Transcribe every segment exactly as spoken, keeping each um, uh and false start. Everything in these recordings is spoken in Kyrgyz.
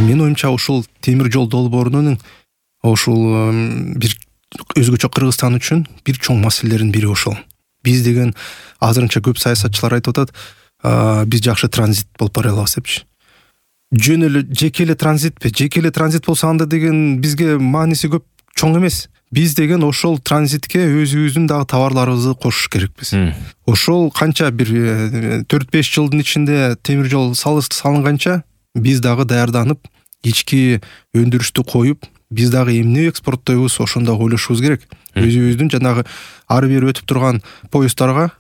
Менин оюмча ушул темир жол долбоорунун ушул бир өзгөчө Кыргызстан үчүн бир чоң маселелердин бири ошол. Биз деген азырынча көп саясатчылар айтып атат, биз жакшы транзит болуп бара алабыз депчи. Жөн эле жеке эле транзитпи? Жеке эле транзит болсо анда деген бизге мааниси көп чоң эмес. Биз деген ошол транзитке өзүбүздүн дагы товарларыбызды кошуш керекпиз. Ошол канча бир төрт беш жылдын ичинде темир жол салынганча биз дагы даярданып, ички өндүрүштү коюп, биз дагы эмне экспорттойбуз ошондо ойлошубуз керек. Өзүбүздүн жанагы ары бери өтүп турган поезддарга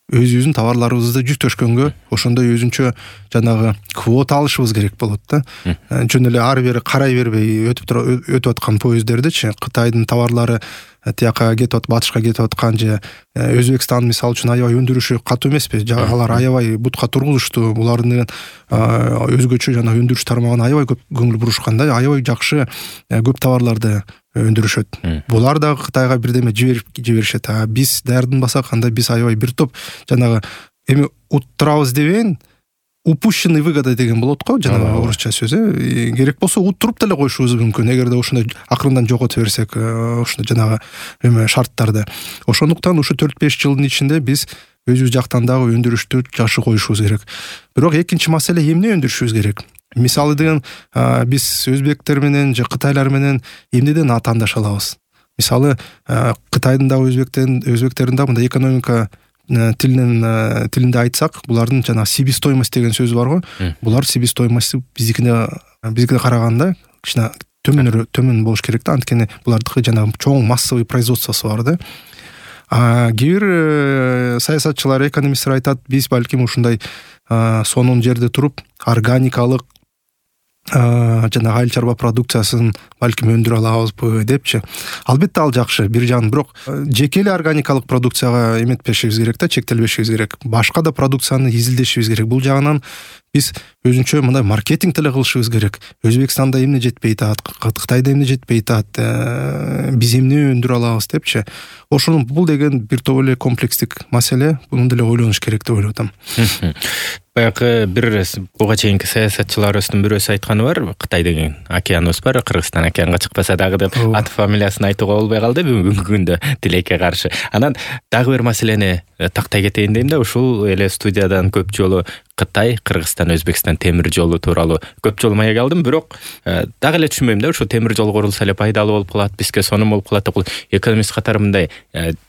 өзүбүздүн товарларыбызды жүктөшкөнгө ошондой өзүнчө жанагы квота алышыбыз керек болот да. Жөн эле ары бери карай бербей өтүп тура өтүп аткан поезддердичи Кытайдын товарлары тияка кетип атып, батышка кетип аткан же Өзбекстан мисалы үчүн аябай өндүрүшү катуу эмеспи? Алар аябай бутка тургузушту. Булардын деген өзгөчө жана өндүрүш тармагына аябай көп көңүл бурушкан да, аябай жакшы көп товарларды өндүрүшөт. Булар дагы Кытайга бирдеме жиберип жиберишет. А биз даярданбасак, анда биз аябай бир топ жанагы эми уттурабыз дебейин, упущенный выгода деген болот го, жанагы орусча сөзү. Керек болсо уттуруп деле коюшубуз мүмкүн, эгерде ошондой акырындан жогото берсек, ошондой жанагы эме шарттарды. Ошондуктан ушу төрт беш жылдын ичинде биз өзүбүз жактан дагы өндүрүштү жакшы коюшубуз керек. Бирок экинчи маселе эмне өндүрүшүбүз керек? Мисалы деген биз өзбектер менен же кытайлар менен эмнеден атаандаша алабыз? Мисалы Кытайдын дагы өзбектердин өзбектердин дагы мындай экономика тилинен тилинде айтсак, булардын жана себестоимость деген сөз бар го. Булар себестоимости биздикине бизге караганда кичине төмөнүрөөк төмөн болуш керек да, анткени булардыкы жана чоң массовый производствосу бар да. А кээ бир саясатчылар, экономисттер айтат, биз балким ушундай сонун жерде туруп органикалык жана айыл чарба продукциясын балким өндүрө алабызбы депчи. Албетте ал жакшы бир жагынан, бирок жеке эле органикалык продукцияга эметпешибиз керек да, чектелбешибиз керек. Башка да продукцияны изилдешибиз керек. Бул жагынан биз өзүнчө мындай маркетинг деле кылышыбыз керек. Өзбекстанда эмне жетпей атат, Кытайда эмне жетпей атат, биз эмне өндүрө алабыз депчи. Ошонун бул деген бир топ эле комплекстик маселе, муну деле ойлонуш керек деп ойлоп атам. Баягы бир буга чейинки саясатчыларыбыздын бирөөсү айтканы бар, Кытай деген океаныбыз бар, Кыргызстан океанга чыкпаса дагы деп аты фамилиясын айтууга болбой калды бүгүнкү күндө тилекке каршы. Анан дагы бир маселени тактай кетейин дейм да, ушул эле студиядан көп жолу Кытай, Кыргызстан, Өзбекстан темир жолу тууралуу көп жолу маек алдым, бирок дагы эле түшүнбөйм да, ушул темир жол курулса эле пайдалуу болуп калат, бизге сонун болуп калат деп. Экономист катары мындай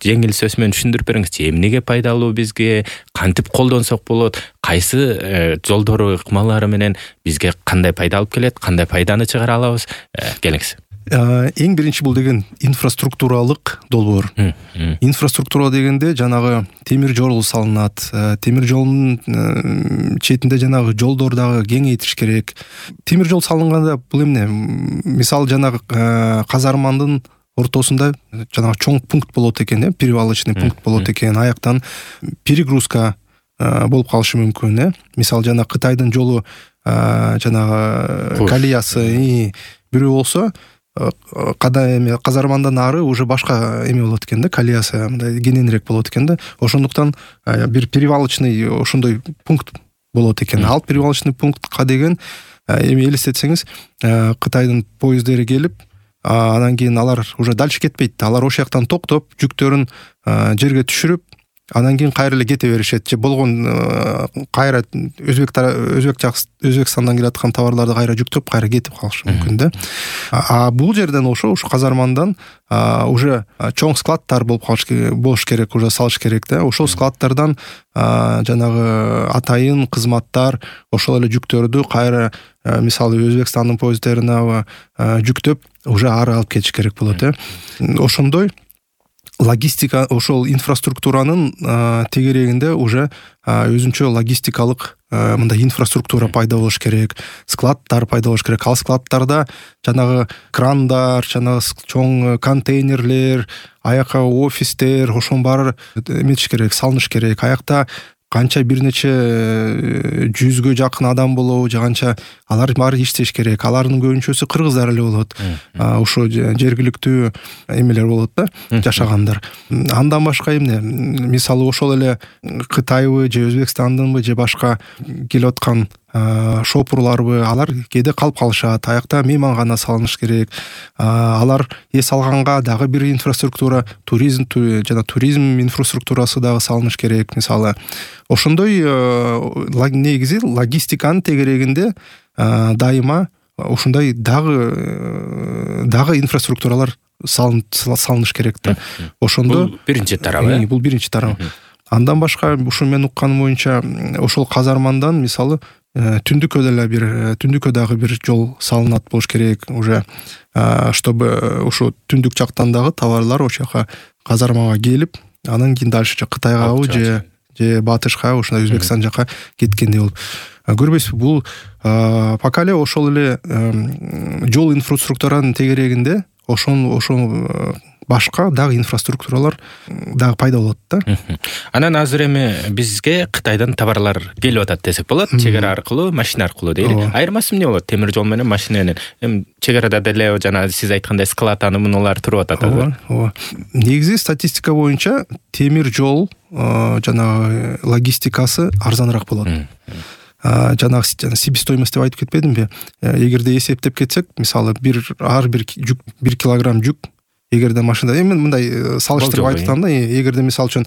жеңил сөз менен түшүндүрүп бериңизчи, эмнеге пайдалуу бизге, кантип колдонсок болот, кайсы жолдору, ыкмалары менен бизге кандай пайда алып келет, кандай пайданы чыгара алабыз? Келиңиз. Эң биринчи бул деген инфраструктуралык долбоор. Инфраструктура дегенде жанагы темир жол салынат, темир жолдун четинде жанагы жолдор дагы кеңейтиш керек. Темир жол салынганда бул эмне? Мисалы жанагы казармандын ортосунда жанагы чоң пункт болот экен, э, перевалочный пункт болот экен, аяктан перегрузка болуп калышы мүмкүн, э. Мисалы жана Кытайдын жолу жанагы колеясы бирөө болсо, када эме казармандан ары уже башка эме болот экен да, колеясы мындай кененирээк болот экен да. Ошондуктан бир перевалочный ошондой пункт болот экен. Ал перевалочный пунктка деген эми элестетсеңиз, Кытайдын поезддери келип, анан кийин алар уже дальше кетпейт. Алар ошол жактан токтоп, жүктөрүн жерге түшүрүп, анан кийин кайра эле кете беришет. Же болгон кайра Өзбек Өзбек Өзбекстандан келаткан товарларды кайра жүктөп, кайра кетип калышы мүмкүн да. А бул жерден ошо ушу казармандан уже чоң складтар болуп калыш болуш керек, уже салыш керек да. Ошол складтардан жанагы атайын кызматтар ошол эле жүктөрдү кайра мисалы Өзбекстандын поезддерине жүктөп, уже ары алып кетиш керек болот, э. Ошондой логистика, ошол инфраструктуранын тегерегинде уже өзүнчө логистикалык мындай инфраструктура пайда болуш керек, складтар пайда болуш керек. Ал складтарда жанагы крандар, жанагы чоң контейнерлер, аяка офистер, ошонун баары эметиш керек, салыныш керек. Аякта канча бир нече жүзгө жакын адам болобу, же канча, алар баары иштеш керек. Алардын көбүнчөсү кыргыздар эле болот. Ошо жергиликтүү эмелер болот да, жашагандар. Андан башка эмне? Мисалы ошол эле Кытайбы же Өзбекстандынбы же башка келип аткан шопурларбы, алар кээде калып калышат, аякта мейман гана салыныш керек. Алар эс алганга дагы бир инфраструктура, туризм жана туризм инфраструктурасы дагы салыныш керек. Мисалы, ошондой негизи логистиканын тегерегинде дайыма ушундай дагы дагы инфраструктуралар салыныш керек да. Ошондо бул биринчи тарабы. Бул биринчи тарабы. Андан башка ушу мен укканым боюнча ошол казармандан мисалы түндүккө деле бир түндүккө дагы бир жол салынат болуш керек уже, чтобы ушу түндүк жактан дагы товарлар ошол жака казармага келип, анан кийин дальше Кытайгабы же же батышка, ошондой Өзбекстан жака кеткендей болуп. Көрбөйсүзбү, бул пока эле ошол эле жол инфраструктуранын тегерегинде ошол ошол башка дагы инфраструктуралар дагы пайда болот да. Анан азыр эми бизге Кытайдан товарлар келип атат десек болот, чек ара аркылуу, машина аркылуу дейли. Айырмасы эмне болот темир жол менен машинанын? Эми чек арада деле жана сиз айткандай складаны мунулар туруп атат. Ооба, ооба. Негизи статистика боюнча темир жол жана логистикасы арзаныраак болот. Жанагы себестоимость деп айтып кетпедимби? Эгерде эсептеп кетсек, мисалы, бир ар бир жүк, бир килограмм жүк, эгерде машина, эми мындай салыштырып айтып атам да, эгерде мисалы үчүн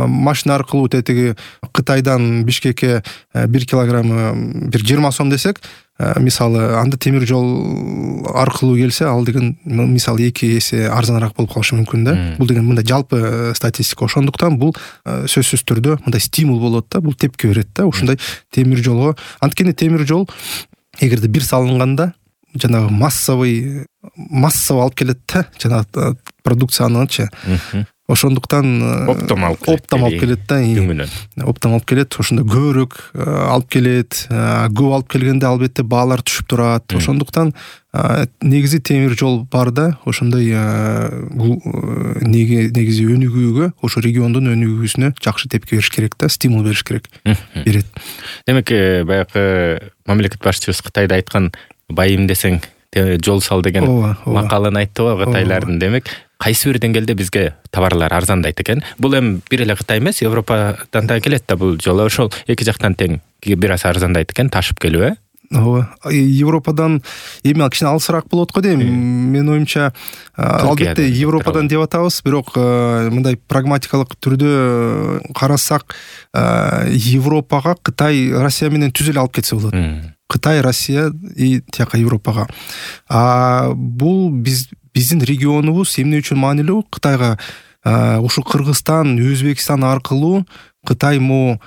машина аркылуу тетиги Кытайдан Бишкекке бир килограммы бир жыйырма сом десек, мисалы, анда темир жол аркылуу келсе, ал деген мисалы эки эсе арзаныраак болуп калышы мүмкүн да. Бул деген мындай жалпы статистика. Ошондуктан бул сөзсүз түрдө мындай стимул болот да, бул тепки берет да, ушундай темир жолго. Анткени темир жол эгерде бир салынганда жанагы массовый массово алып келет да, жанагы продукциянычы. Ошондуктан оптом алып келет да, оптом алып келет, ошондо көбүрөөк алып келет, көп алып келгенде албетте баалар түшүп турат. Ошондуктан негизи темир жол бар да, ошондой бул негизи өнүгүүгө, ошо региондун өнүгүүсүнө жакшы тепки бериш керек да, стимул бериш керек. Берет. Демек, баягы мамлекет башчыбыз Кытайда айткан байым десең жол сал деген макалын айттыбы Кытайлардын. Демек, кайсы бир деңгээлде бизге товарлар арзандайт экен? Бул эми бир эле Кытай эмес, Европадан да келет да бул жолу. Ошол эки жактан тең бир аз арзандайт экен, ташып келип, э? Ооба. Европадан эми кичине алысыраак болот го дейм. Менин оюмча, албетте Европадан деп атабыз, бирок мындай прагматикалык түрдө карасак, Европага Кытай Россия менен түз эле алып кетсе болот. Кытай, Россия и тияка Европага. А бул биз биздин регионубуз эмне үчүн маанилүү? Кытайга ушу Кыргызстан, Өзбекстан аркылуу Кытай мо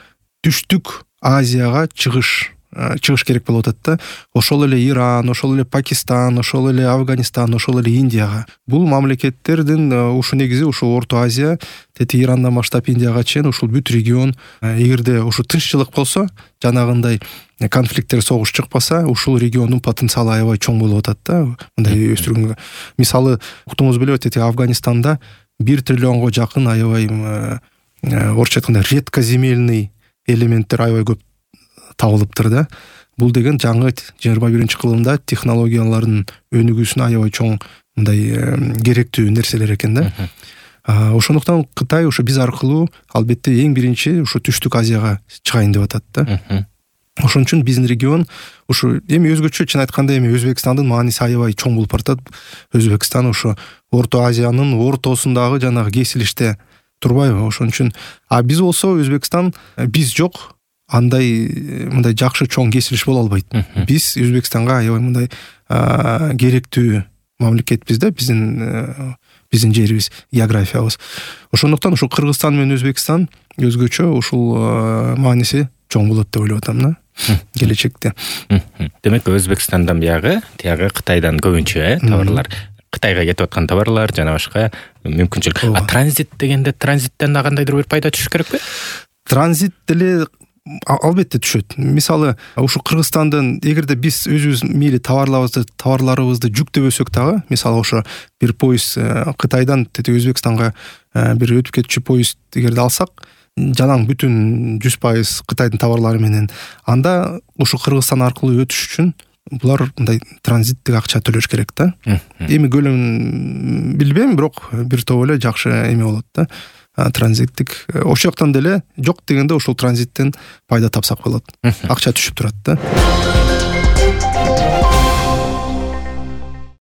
түштүк Азияга чыгыш чыгыш керек болуп атат да. Ошол эле Иран, ошол эле Пакистан, ошол эле Афганистан, ошол эле Индияга. Бул мамлекеттердин ушу негизи ушу Орто Азия, тети Ирандан баштап Индияга чейин ушул бүт регион, эгерде ушу тынччылык болсо, жанагындай конфликттер, согуш чыкпаса, ушул региондун потенциалы аябай чоң болуп атат да, мындай өстүргөнгө. Мисалы, уктуңуз белеби, тети Афганистанда бир триллионго жакын аябай орусча айтканда редкоземельный элементтер аябай көп табылыптыр да. Бул деген жаңы жыйырма биринчи кылымда технологиялардын өнүгүүсүнө аябай чоң мындай керектүү нерселер экен да. Ошондуктан Кытай ушу биз аркылуу албетте эң биринчи ушу түштүк Азияга чыгайын деп атат да. Ошон үчүн биздин регион ушу эми өзгөчө, чын айтканда эми Өзбекстандын мааниси аябай чоң болуп баратат. Өзбекстан ушу Орто Азиянын ортосундагы жанагы кесилиште турбайбы? Ошон үчүн а биз болсо Өзбекстан, биз жок андай мындай жакшы чоң кесилиш боло албайт. Биз Өзбекстанга аябай мындай керектүү мамлекетпиз да, биздин биздин жерибиз, географиябыз. Ошондуктан ушу Кыргызстан менен Өзбекстан өзгөчө ушул мааниси чоң болот деп ойлоп атам да, келечекте. Демек, Өзбекстандан биягы, тиягы Кытайдан көбүнчө товарлар, Кытайга кетип аткан товарлар жана башка мүмкүнчүлүк. А транзит дегенде транзиттен да кандайдыр бир пайда түшүш керекпи? Транзит деле албетте түшөт. Мисалы, ушу Кыргызстандын эгерде биз өзүбүз мейли товарларыбызды товарларыбызды жүктөбөсөк дагы, мисалы ошо бир поезд Кытайдан тети Өзбекстанга бир өтүп кетчү поезд эгерде алсак, жалаң бүтүн жүз пайыз Кытайдын товарлары менен, анда ушу Кыргызстан аркылуу өтүш үчүн булар мындай транзиттик акча төлөш керек да. Эми көлөмүн билбейм, бирок бир топ эле жакшы эме болот да. транзиттик ошол жактан деле жок дегенде ошол транзиттен пайда тапсак болот, акча түшүп турат да.